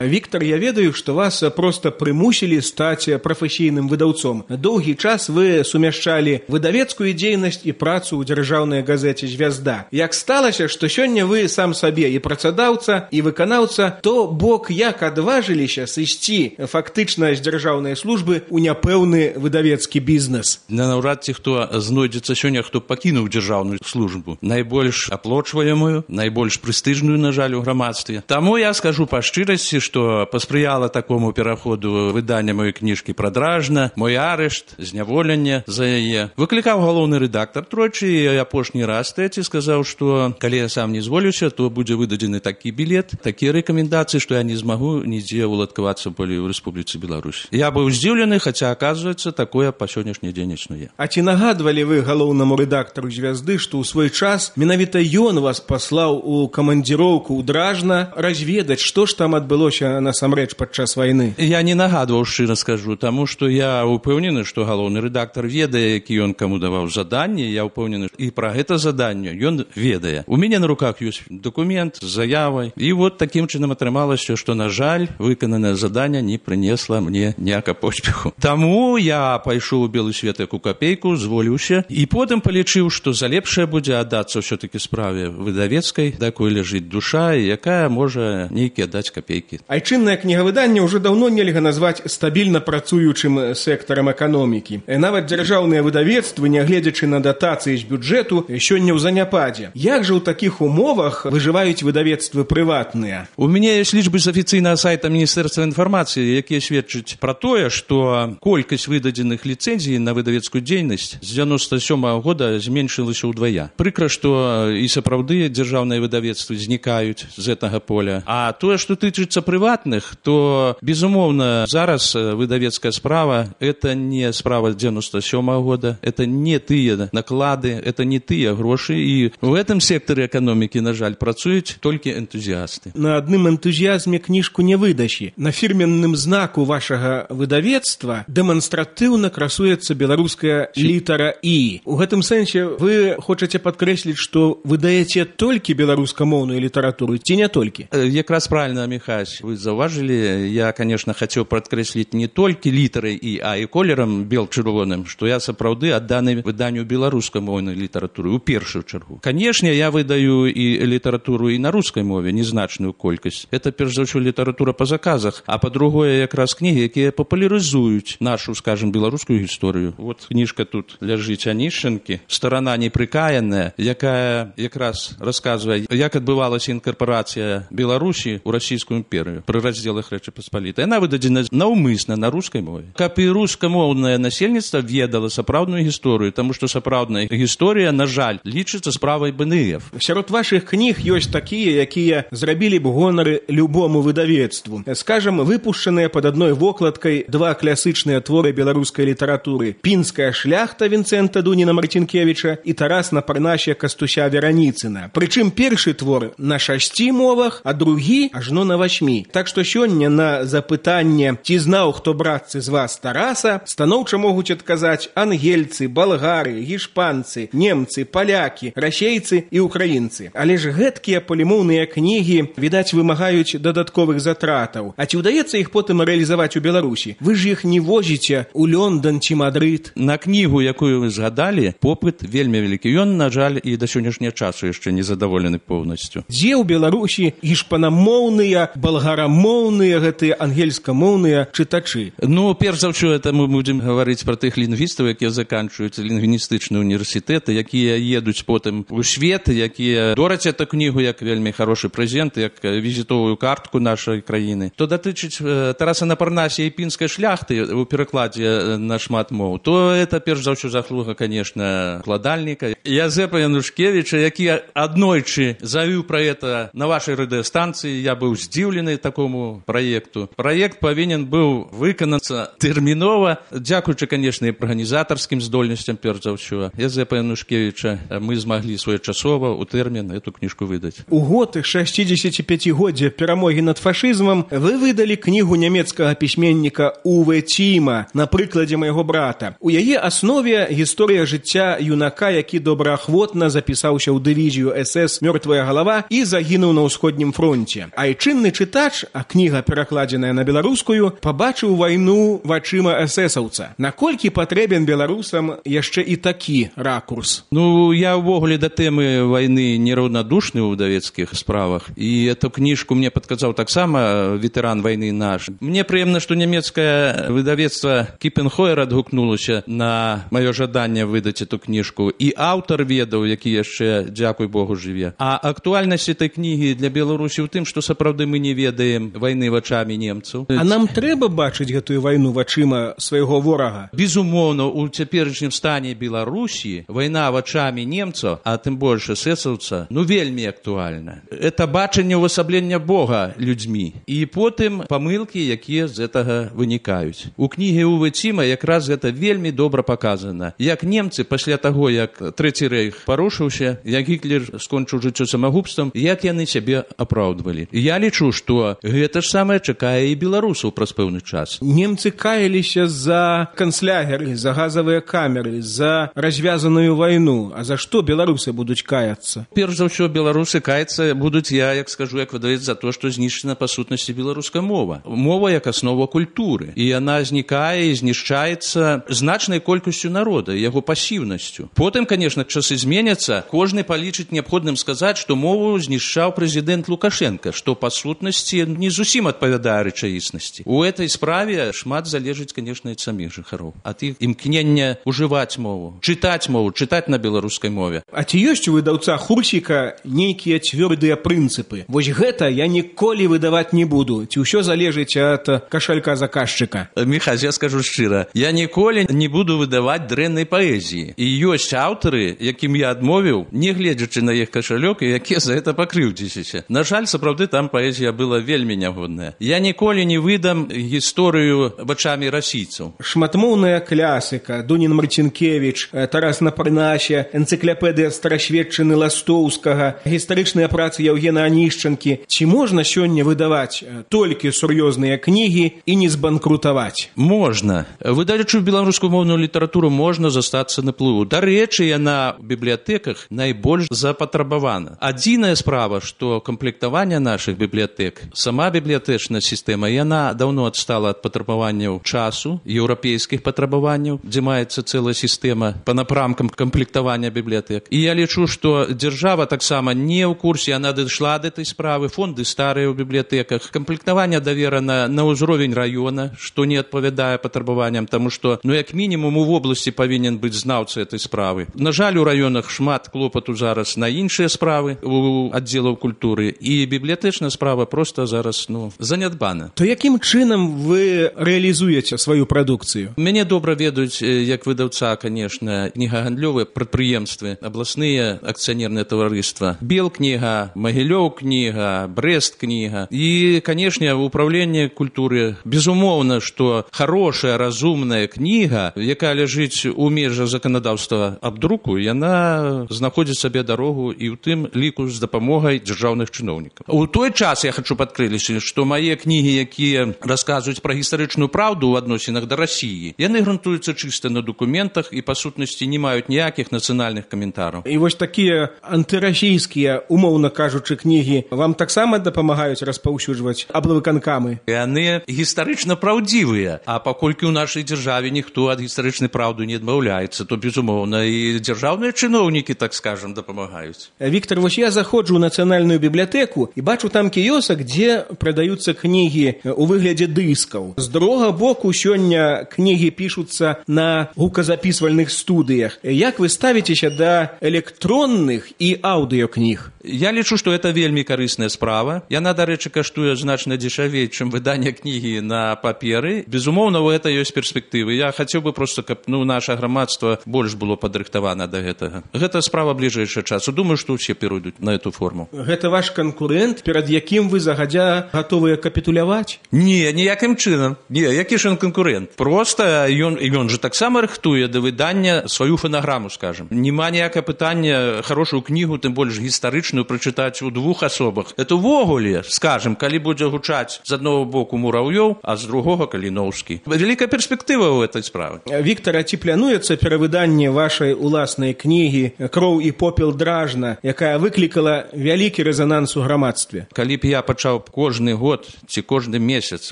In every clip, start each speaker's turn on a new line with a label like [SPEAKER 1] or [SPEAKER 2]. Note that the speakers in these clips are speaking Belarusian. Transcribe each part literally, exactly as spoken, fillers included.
[SPEAKER 1] Віктор, я ведаю, што вас проста прымусілі стаць прафесійным выдаўцом. Доўгі час вы сумяшчалі выдавецкую дзейнасць і працу ў дзяржаўнай газеце «Звязда». Як сталася, што сёння вы сам сабе і працадаўца, і выканаўца, то бок як адважыліся сысці фактычна з дзяржаўнай службы ў няпэўны выдавецкі бізнес?
[SPEAKER 2] Наўрад ці хто знойдзецца сёння, хто пакінуў дзяржаўную службу. Найбольш аплочваемую, найбольш прэстыжную, на жаль, у грамадстве. Таму я скажу па шчырасці, што паспрыяла такому пераходу выдання маёй кніжкі «Прадражна», мой арышт, зняволенне за яе. Выклікаў галоўны рэдактар тройчы, і апошні раз трэці сказаў, што калі я сам не зволюся, то будзе выдадзены такі білет, такія рэкамендацыі, што я не змагу нідзе уладкавацца болей у Рэспубліцы Беларусь. Я быў здзіўлены, хаця, аказваецца, такое па сённяшні дзень існуе.
[SPEAKER 1] А ці нагадвалі вы галоўнаму рэдактару «Звязды», што ў свой час менавіта ён вас паслаў у камандзіроўку ў Дражна разведаць, што ж там адбылося насамрэч падчас вайны?
[SPEAKER 2] Я не нагадваў, шчыра скажу, таму што я ўпэўнены, што галоўны рэдактар ведае, які ён каму даваў заданне, я ўпэўнены, і пра гэта заданне ён ведае. У мяне на руках ёсць дакумент з заявай, і вот такім чынам атрымалася, што, на жаль, выкананае заданне не прынесла мне ніяка поспеху. Таму я пайшоў у белы свет як у капейку, зволіўся, і потым палічыў, што за лепшае будзе аддацца ўсё-такі справе выдавецкай, да якой ляжыць душа, і якая можа нейкія даць капейкі.
[SPEAKER 1] Айчыннае кнігавыданне ўжо даўно нельга назваць стабільна працуючым сектарам эканомікі. Нават дзяржаўныя выдавецтвы, нягледзячы на датацыі з бюджэту, сёння ў заняпадзе. Як жа ў такіх умовах выжываюць выдавецтвы прыватныя?
[SPEAKER 2] У мяне ёсць лічбы з афіцыйнага сайта Міністэрства інфармацыі, якія сведчаць пра тое, што колькасць выдадзеных ліцэнзій на выдавецкую дзейнасць з дзяўяносто сёмага года зменшылася ўдвая. Прыкра, што і сапраўды дзяржаўныя выдавецтвы знікаюць з гэтага поля. А тое, што тычыцца прыватных, то, безумоўна, зараз выдавецкая справа – это не справа дзяўяносто сёмага года, это не тыя наклады, это не тыя грошы, і в этом секторе эканомікі, на жаль, працуюць толькі энтузіасты.
[SPEAKER 1] На адным энтузіазме кніжку не выдасі. На фірменным знаку вашага выдавецтва дэманстратыўна красуецца беларуская літара «І». У гэтым сэнсе вы хочаце падкрэсліць, што выдаеце толькі беларускамоўную літаратуру, ці не толькі?
[SPEAKER 2] Якраз правильно, Михась, вы заўважылі, я, конечно, хацеў падкрэсліць не толькі літарай «І», а і колерам бел-чырвоным, што я сапраўды адданы выданню беларускамоўнай літаратуры ў першую чаргу. Канешне, я выдаю і літаратуру і на рускай мове, незначную колькасць. Это, перш за ўсё, літаратура па заказах, а па-другое, якраз кнігі, якія папулярызуюць нашу, скажем, беларускую гісторыю. Вот кніжка тут ляжыць Анішчанкі, «Старана непрыкаяная», якая якраз расказвае, як адбывалася інкарпарацыя Беларусі ў расійскую імперыю пры раздзелах Рэчы Паспалітай. Яна выдадзена наўмысна на рускай мове. Каб і рускамоўнае насельніцтва ведала сапраўдную гісторыю, таму што сапраўдная гісторыя, на жаль, лічыцца справай бэнэев.
[SPEAKER 1] Сярод вашых кніг ёсць такія, якія зрабілі б гонары любому выдавецтву. Скажам, выпушчаныя пад адной вокладкай два класычныя творы беларускай літаратуры: «Пінская шляхта» Вінцэнта Дуніна-Марцінкевіча і «Тарас на Парнасе» Кастуся Вераніцына. Прычым першы твор на шасці мовах, а другі ажно на васьмі. Так што сёння на запытанне, ці знаў хто братцы з вас Тараса, станоўча могуць адказаць ангельцы, балгары, гішпанцы, немцы, палякі, расейцы і украінцы. Але ж гэткія палімоўныя кнігі, відаць, вымагаюць дадатковых затратаў. А ці ўдаецца іх потым рэалізаваць у Беларусі? Вы ж іх не возіце ў Лёндан ці Мадрыд.
[SPEAKER 2] На кнігу, якую вы згадалі, попыт вельмі вялікі. Ён, на жаль, і да сённяшняга часу яшчэ не задаволены поўнасцю.
[SPEAKER 1] Дзе ў Беларусі гішпанамоўныя, балгарамоўныя, гэтыя ангельскамоўныя чытачы?
[SPEAKER 2] Ну, перш за ўсё, это мы будзем гаварыць пра тых лінгвістаў, якія заканчваюць лінгвістычныя універсітэты, якія едуць потым у свет, якія дораць эту кнігу як вельмі хорошы прэзент, як візітовую картку нашай краіны. То датычыць Тараса на Парнасе і «Пінскай шляхты» у перакладзе на шмат моў, то это перш за ўсё заслуга, конечно, кладальніка Язэпа Янушкевіча, які аднойчы завіў пра это на вашай радыёстанцыі. Я быў здзіўлены такому праекту. Праект павінен быў выканацца тэрмінова, дзякуючы, канешне, арганізатарскім здольнасцям, перш за ўсё, Язэпа Янушкевіча, мы змаглі своечасова ў тэрмін эту кніжку выдаць.
[SPEAKER 1] У год шасцідзесяціпяцігоддзя перамогі над фашызмам вы выдалі кнігу нямецкага пісьменніка Уве Ціма «На прыкладзе майго брата». У яе аснове гісторыя жыцця юнака, які добраахвотна запісаўся ў дывізію эс эс «Мёртвая галава» і загінуў на ўсходнім фронце. Айчынны чытач чытач, а кніга перакладзеная на беларускую, пабачыў вайну вачыма эсэсаўца. Наколькі патрэбен беларусам яшчэ і такі ракурс?
[SPEAKER 2] Ну, я ўвогуле да тэмы вайны нераўнадушны ў выдавецкіх справах, і эту кніжку мне падказаў таксама ветэран вайны наш. Мне прыемна, што нямецкае выдавецтва Кіпенхойер адгукнулася на маё жаданне выдаць эту кніжку, і аўтар ведаў, які яшчэ, дзякуй Богу, жыве. А актуальнасць этой кнігі для Беларусі ў тым, што сапраўды мы не ведаем вайны вачамі немцаў.
[SPEAKER 1] А нам трэба бачыць гэтую вайну вачыма свайго ворага?
[SPEAKER 2] Безумоўна, у цяперашнім стане Беларусі вайна вачамі немцаў, а тым больш эсэсаўца, ну вельмі актуальна. Это бачанне ўвасаблення Бога людзьмі. І потым памылкі, якія з гэтага вынікаюць. У кнігі Уве Ціма якраз гэта вельмі добра паказана. Як немцы пасля таго, як Трэці рэйх парушыўся, як Гітлер скончыў жыццё самагубствам, як яны сябе апраўдвалі. Я лічу, што гэта ж самае чакае і беларусаў праз пэўны час.
[SPEAKER 1] Немцы каяліся за канцлягеры, за газавыя камеры, за развязаную вайну. А за што беларусы будуць каяцца?
[SPEAKER 2] Перш за ўсё, беларусы каяцца будуць, я, як скажу, як выдавец, за то, што знішчана па сутнасці беларуская мова. Мова як аснова культуры. І яна знікае і знішчаецца значнай колькасцю народа, яго пасіўнасцю. Потым, конечно, часы зменяцца, кожны палічыць неабходным сказаць, што мову знішчаў прэзідэнт Лукашенко, што па сутнасці не зусім адпавядае рэчаіснасці. У этой справе шмат залежыць, конечно, ад саміх жыхароў. Ад іх імкнення ўжываць мову, чытаць мову, чытаць на беларускай мове.
[SPEAKER 1] А ці ёсць у выдаўца Хурсіка нейкія цвёрдыя прынцыпы? Вось гэта я ніколі выдаваць не буду. Ці ўсё залежыць ад кашалька заказчыка?
[SPEAKER 2] Міхась, я скажу шчыра, я ніколі не буду выдаваць дрэннай паэзіі. І ёсць аўтары, якім я адмовіў, не гледзячы на іх кашалёк, і якія за гэта пакрыўдзіліся. На жаль, сапраўды там паэзія была вельмі нягодная. Я ніколі не выдам гісторыю вачамі расійцаў.
[SPEAKER 1] Шматмоўная клясыка, Дунін Марцінкевіч, Тарас на Парнасе, энцыклапедыя старасветчыны Ластоўскага, гістарычныя працы Яўгена Анішчанкі. Ці можна сёння выдаваць толькі сур'ёзныя кнігі і не збанкрутаваць?
[SPEAKER 2] Можна. Выдаючы беларускую моўную літаратуру можна застацца на плыву. Дарэчы, яна ў бібліятэках найбольш запатрабавана. Адзіная справа, што камплектаванне нашых бібліятэк, сама бібліятэчная сістэма, яна даўно адстала ад патрабаванняў часу, еўрапейскіх патрабаванняў, дзе маецца цэлая сістэма па напрамкам камплектавання бібліятэк. І я лічу, што дзяржава таксама не ў курсе, яна дайшла да этой справы, фонды старыя ў бібліятэках, камплектаванне даверана на ўзровень раёна, што не адпавядае патрабаванням, таму што, ну, як мінімум, у вобласці павінен быць знаўца этой справы. На жаль, у раёнах шмат клопату зараз на іншыя справы у аддзелаў культуры, і бібліятэчная справа проста зараз, ну, занядбана.
[SPEAKER 1] То якім чынам вы рэалізуеце сваю прадукцыю?
[SPEAKER 2] Мяне добра ведаюць, як выдаўца, конечно, кнігагандлёвыя прадпрыемствы, абласныя акцыянерныя таварыства. Белкніга, Магілёў кніга, Брест кніга. І, канешне, ўпраўленне культуры. Безумоўна, што хорошая, разумная кніга, якая ляжыць у межах заканадаўства аб друку, яна знаходзіць сабе дарогу і ў тым ліку з дапамогай дзяржаўных чыноўнікаў. У той час я хачу падкрэсліць, што мае кнігі, якія расказваюць пра гістарычную праўду ў адносінах да Расіі, яны грунтуюцца чыста на дакументах і, па сутнасці, не маюць ніякіх нацыянальных каментараў.
[SPEAKER 1] І вось такія антырасійскія, умоўна кажучы, кнігі вам таксама дапамагаюць распаўсюджваць аблвыканкамы?
[SPEAKER 2] Яны гістарычна праўдзівыя, а паколькі ў нашай дзяржаве ніхто ад гістарычнай праўды не адмаўляецца, то, безумоўна, і дзяржаўныя чыноўнікі, так скажам, дапамагаюць.
[SPEAKER 1] Віктор, вось я заходжу ў нацыянальную бібліятэку і бачу там кіёсак, дзе прадаюцца кнігі у выглядзе дыскаў. З другога боку, сёння кнігі пішуцца на гуказапісвальных студыях. Як вы ставіцеся да электронных і аўдыёкніг?
[SPEAKER 2] Я лічу, што гэта вельмі карысная справа. Яна, дарэчы, каштуе значна дзешавей, чым выданне кнігі на паперы. Безумоўна, у гэта ёсць перспектывы. Я хацеў бы проста, каб, ну, наша грамадства больш было падрыхтавана да гэтага. Гэта справа бліжэйшага часу. Думаю, што ўсе перайдуць на эту форму.
[SPEAKER 1] Гэта ваш канкурэнт, перад якім вы загадзя гатовыя капітуляваць?
[SPEAKER 2] Не, ніякім чынам. Не, які ж ён канкурэнт? Проста ён, ён же таксама рыхтуе да выдання сваю фанаграму, скажем. Нема ніякае пытання, хорошую кнігу, тым больш гістарычную, паэтычную прачытаць у двух асобах. Это ўвогуле, скажем, калі будзе гучаць з аднаго боку Мураўёў, а з другога Каліноўскі. Вялікая перспектыва ў этой справы.
[SPEAKER 1] Віктор, а ці плануецца перавыданне вашай уласнай кнігі «Кроў і попел дражна», якая выклікала вялікі рэзананс у грамадстве?
[SPEAKER 2] Калі б я пачаў кожны год ці кожны месяц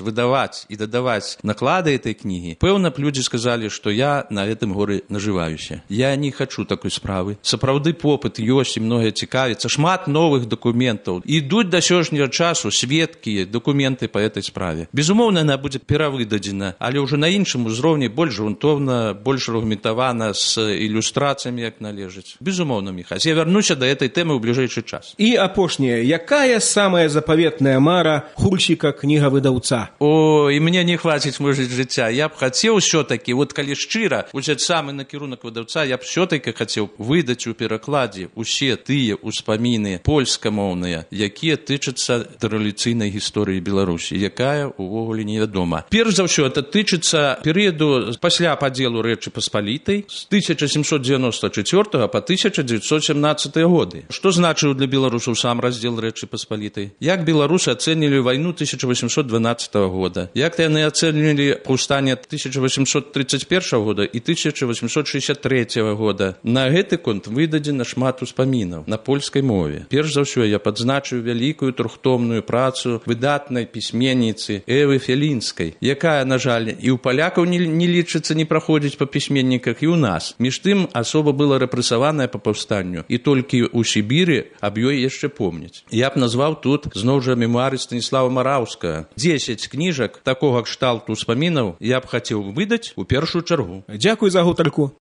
[SPEAKER 2] выдаваць і дадаваць наклады этой кнігі, пэўна б людзі сказалі, што я на гэтым горы нажываюся. Я не хачу такой справы. Сапраўды попыт ёсць і многае цікавіцца. Шмат новых дакументаў. Ідуць да сённяшняга часу сведкі, дакументы па этой справе. Безумоўна, яна будзе перавыдадзена, але ўжо на іншым узроўні больш грунтоўна, больш аргументавана, з ілюстрацыямі, як належыць. Безумоўна, Міхась. Я вярнуся да этой тэмы ў бліжэйшы час.
[SPEAKER 1] І апошняе. Якая самая запаветная мара хульщика кнігавыдаўца?
[SPEAKER 2] О, і мне не хваціць мужыць жыцця. Я б хацеў усё-такі, вот калі шчыра узяць самы накірунак выдаўца, я б усё-такі хацеў выдаць у перакладзе усе тыя ўспаміны польскамоўныя, якія тычацца рэвалюцыйнай гісторыі Беларусі, якая увогуле невядома. Перш за ўсё, это тычыцца перыяду пасля падзелу Рэчы Паспалітай з тысяча сямсот дзевяноста чацвёртага па тысяча дзевяцьсот сямнаццаты годы. Што значыў для беларусаў сам раздзел Рэчы Паспалітай? Як беларусы ацэнілі вайну тысяча восемьсот дванаццатага года? Як яны ацэнілі паўстанне тысяча восемьсот тридцать первого года і тысяча восемьсот шестьдесят третьего года? На гэты конт выдадзена шмат успамінаў на польскай мове. Перш за ўсё, я падзначыў вялікую трохтомную працу выдатнай пісьменніцы Эвы Фелінскай, якая, на жаль, і ў палякаў не, не лічыцца, не праходзіць па пісьменніках, і ў нас. Між тым, асоба была рэпрэсаваная па паўстанню, і толькі ў Сібіры аб ёй яшчэ помняць. Я б назваў тут, зноў жа, мемуары Станіслава Мараўскага. дзесяць кніжак такога кшталту ўспамінаў я б хацеў выдаць у першую чаргу.
[SPEAKER 1] Дзякуй за гутарку.